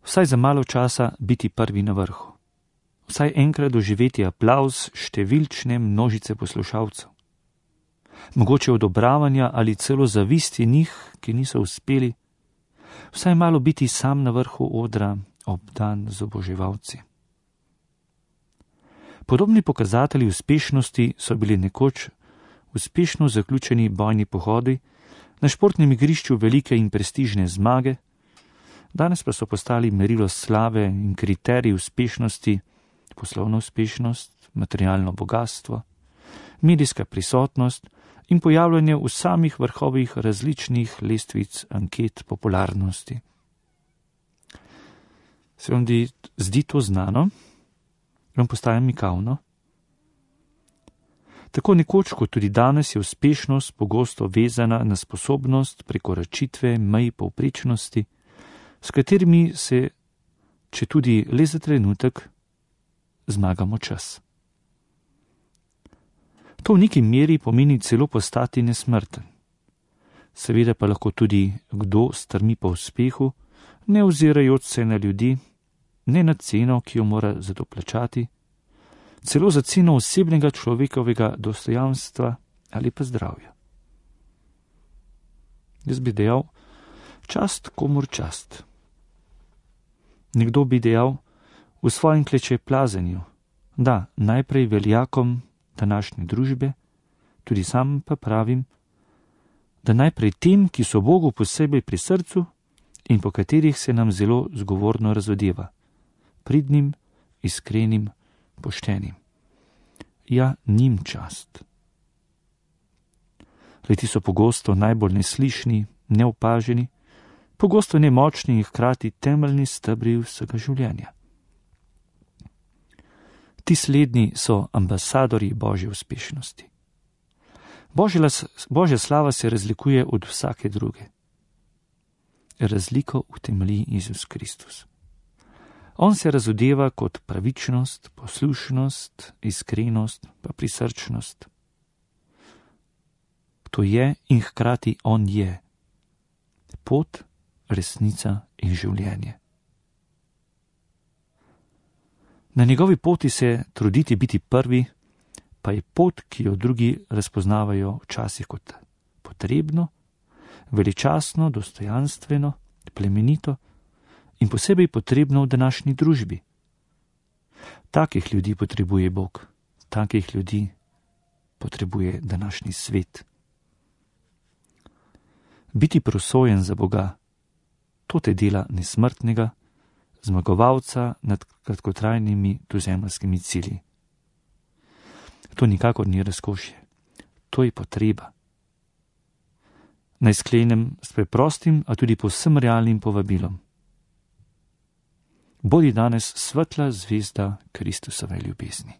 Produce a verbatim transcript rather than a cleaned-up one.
Vsaj za malo časa biti prvi na vrhu. Vsaj enkrat doživeti aplavz številčne množice poslušalcev. Mogoče odobravanja ali celo zavisti njih, ki niso uspeli. Vsaj malo biti sam na vrhu odra, obdan z oboževalci. Podobni pokazatelji uspešnosti so bili nekoč uspešno zaključeni bojni pohodi, na športnem igrišču velike in prestižne zmage, danes pa so postali merilo slave in kriterij uspešnosti, poslovna uspešnost, materialno bogatstvo, medijska prisotnost in pojavljanje v samih vrhovih različnih lestvic anket popularnosti. Se vam zdi to znano? Vam postaja mikavno? Tako nekoč kot tudi danes je uspešnost pogosto vezana na sposobnost prekoračitve mej povprečnosti, s katerimi se, če tudi le za trenutek, zmagamo čas. To v neki meri pomeni celo postati nesmrten. Seveda pa lahko tudi kdo strmi po uspehu, ne ozirajoč se na ljudi, ne na ceno, ki jo mora za to plačati, celo za ceno osebnega človekovega dostojanstva ali pa zdravja. Jaz bi dejal, čast komur čast. Nekdo bi dejal v svojem klečeplazenju, da najprej veljakom današnje družbe, tudi sam pa pravim, da najprej tem, ki so Bogu posebej pri srcu in po katerih se nam zelo zgovorno razodeva, pridnim, iskrenim, poštenim. Ja, njim čast. Leti so pogosto najbolj neslišni, neopaženi, pogosto nemočni in hkrati temeljni stebri vsega življenja. Ti slednji so ambasadorji Božje uspešnosti. Božja slava se razlikuje od vsake druge. Razliko utemelji Jezus Kristus. On se razodeva kot pravičnost, poslušnost, iskrenost pa prisrčnost. To je in hkrati on je. Pot, resnica in življenje. Na njegovi poti se truditi biti prvi, pa je pot, ki jo drugi razpoznavajo včasih kot potrebno, veličastno, dostojanstveno, plemenito in posebej potrebno v današnji družbi. Takih ljudi potrebuje Bog, takih ljudi potrebuje današnji svet. Biti prosojen za Boga, to te dela nesmrtnega, zmagovalca nad kratkotrajnimi tuzemljskimi cilji. To nikakor ni razkošje, to je potreba. Naj sklenem s preprostim, a tudi povsem realnim povabilom. Bodi danes svetla zvezda Kristusove ljubezni.